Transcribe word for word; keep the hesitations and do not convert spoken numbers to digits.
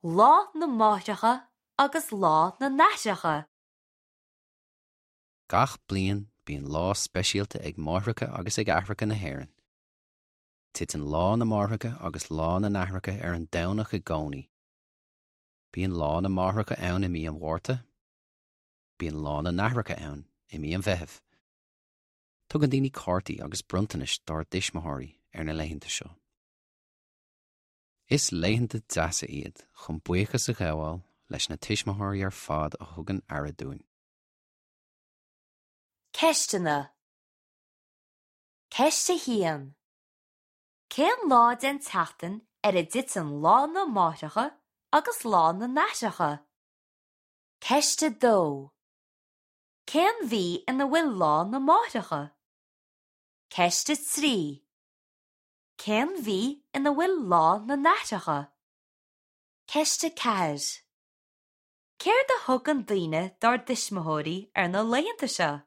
Lá na Máithreacha agus Lá na nAithreacha. Gach bliain bíonn lá speisialta ag máithreacha agus ag aithreacha na hÉireann. Titeann lá na máithreacha agus lá na n-aithreacha ar an Domhnach i gcónaí. Bíonn lá na máithreacha ann i mí an Mhárta, Bíonn lá na n-aithreacha ann i mí an Mheithimh. Tugann daoine cártaí agus bronntanais dá dtuismitheoirí ar na laethanta seo. Is laethanta deasa iad chun buíochas a ghabháil leis na tuismitheoirí ar fad a thugann aire dúinn. Ceisteanna Ceist a haon. Cén lá den tseachtain ar a dtiteann lá na máithreacha agus lá na n-aithreacha? Ceist a dó. Cén mhí ina bhfuil lá na máithreacha? Ceist a trí. Cén mhí ina bhfuil lá na n-aithreacha? Ceist a ceathair. Céard a thugann daoine dá dtuismitheoirí ar na laethanta seo?